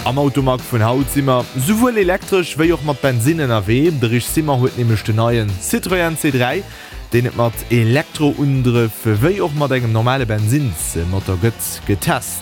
Am Automag vun haut si mer souwuel elektresch wéi och mat Bensinn ënnerwee. De Rich Simmer huet nämlech den neien Citroën C3, deen et mat Elektroundrëff wéi och mat engem normale Bensinnsmotor gëtt, getest.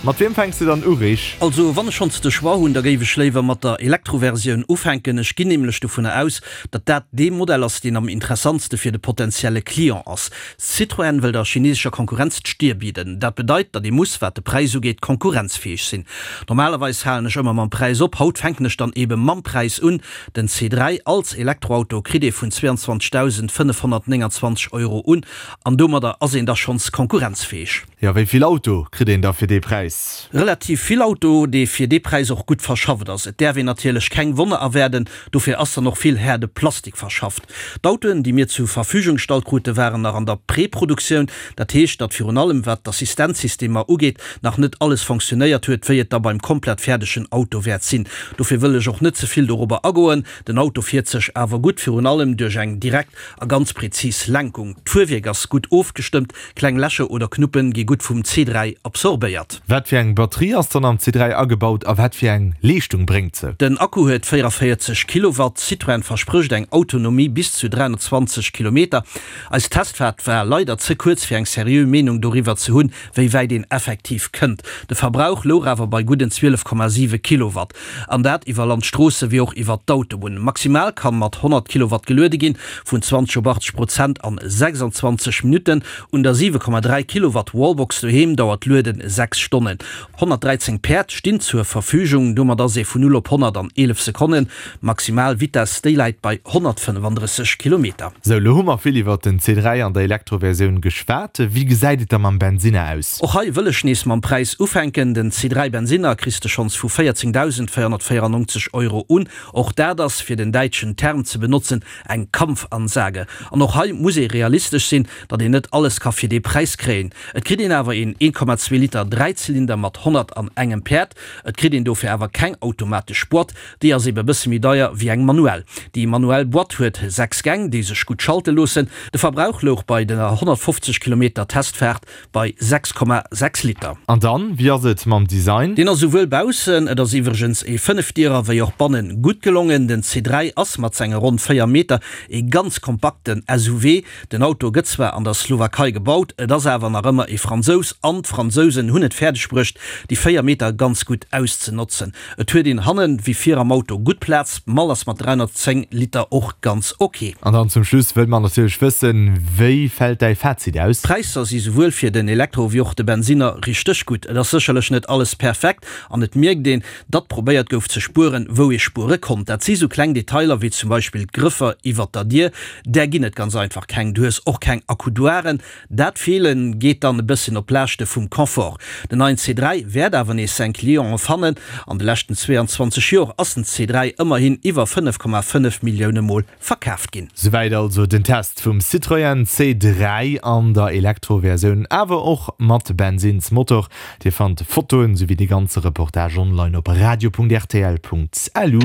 Mat wiem fänks de dann u, Rich? Also wann ech schonns de Choix hunn, da géif ech léiwer mat der Elektroversioun ufänken. Ech ginn nämlech dovunner aus, datt dat dee Modell ass, deen am interessantste fir de potentielle Client ass. Citroën wëll der chinesescher Konkurrenz d'Stier bidden. Dat bedeit, datt ee muss, wat de Präis ugeet, konkurrenzfäeg sinn. Normalerweis halen ech ëmmer mam Präis op, haut fänken ech dann ebe mam Präis un. Den C3 als Elektroauto kritt ee vun 22.529 Euro un, an domadder ass een da schonns konkurrenzfäeg. Jo, wéi vill Auto kritt een da fir dee Präis? Relativ vill Auto, dee fir dee Präis och gutt verschafft ass. Et däerf een natierlech keng Wonner erwaarden, dofir ass dann och vill haarde Plastik verschafft. D'Autoen, déi mir zu Verfügung gestallt krute, waren nach an der Preproduktioun. Dat heescht, datt virun allem wat d'Assistenzsystemer ugeet, nach net alles fonctionnéiert huet, wéi et da beim komplett fäerdegen Auto wäert sinn. Dofir wëll ech och net ze vill dorobber agoen. Den Auto fiert sech awer gutt, virun allem duerch eng direkt a ganz prezis Lenkung. D'Fuerwierk ass gutt ofgestëmmt, Kleng Lächer oder Knuppen gi gutt vum C3 absorbéiert. Wat fir eng Batterie ass dann am C3 agebaut a wat fir eng Leeschtung bréngt se? Den Akku huet 44 Kilowatt. Citroën versprécht eng Autonomie bis zu 320 Kilometer. Eis Testfaart war leider ze kuerz fir eng seriö Meenung doriwwer ze hunn, wéi wäit een effektiv kënnt. De Verbrauch louch awer bei gudden 12,7 Kilowatt. An dat iwwer Landstroosse wéi och iwwer d'Autobunn. Maximal kann mat 100 Kilowatt geluede ginn, vun 20 op 80 Prozent an 26 Minutten. Un der 7,3 Kilowatt Wallbox doheem dauert d'Lueden 6 Stonnen. 113 Päerd stinn zur Verfügung, domat ass ee vun 0 op 100 an 11 Sekonnen. Maximal Vitess, déi läit bei 135 Kilometer. Sou, lo hu mer vill iwwert den C3 an der Elektroversioun geschwat. Wéi gesäit et da mam Bensinner aus? Och hei wëll ech nees mam Präis ufänken. Den C3 Bensinner kriss de schonns vu 14.494 Euro un. Och dat ass, fir den däitschen Term ze benotzen, eng Kampfansage. An och hei muss ee realistesch sinn, datt een net alles ka fir dee Präis kréien. Et kritt een awer een 1,2 Liter Dräizylinder mat 101 Päerd. Et kritt een dofir awer keng automatesch Boîte. Déi ass ebe bësse méi deier wéi eng manuell. Déi manuell Boîte huet 6 Gäng, déi sech gutt schalte loossen. De Verbrauch louch bei der 150 Kilometer Testfaart bei 6,6 Liter. An dann, wéi ass et mam Design? Deen ass souwuel baussen, et ass iwwregens ee Fënnefdierer, wéi och bannen gutt gelongen. Den C3 ass mat senge ronn 4 Meter ee ganz kompakten SUV. Den Auto gëtt zwar an der Slowakei gebaut, et ass awer nach ëmmer ee Fransous an d'Fransousen hunn et fäerdeg bruecht, déi 4 Meter ganz gutt auszenotzen. Et huet een hannen wéi vir am Auto gutt Plaz, d'Mall ass mat 310 Liter och ganz ok. An dann zum Schluss wëlle mer natierlech wëssen, wéi fält däi Fazit aus? D'Präisser si souwuel fir den Elektro wéi och de Bensinner richteg gutt. Et ass sécherlech net alles perfekt an et mierkt een, datt probéiert gouf ze spueren, wou ee spuere konnt. Dat si sou kleng Detailer wéi zum Beispill d'Grëffer iwwert der Dier, där ginn et ganz einfach keng. Du hues och keng Accoudoiren. Dat Feelen geet dann e bësschen op Laaschte vum Confort. Den neien C3 wäert awer nees seng Clienten fannen. An de leschten 22 Joer ass den C3 ëmmerhin iwwer 5,5 Millioune Mol verkaaft ginn. Souwäit also den Test vum Citroën C3 an der Elektroversioun, awer och mat Bensinnsmotor. Dir fannt Fotoen souwéi de ganze Reportage online op radio.rtl.lu.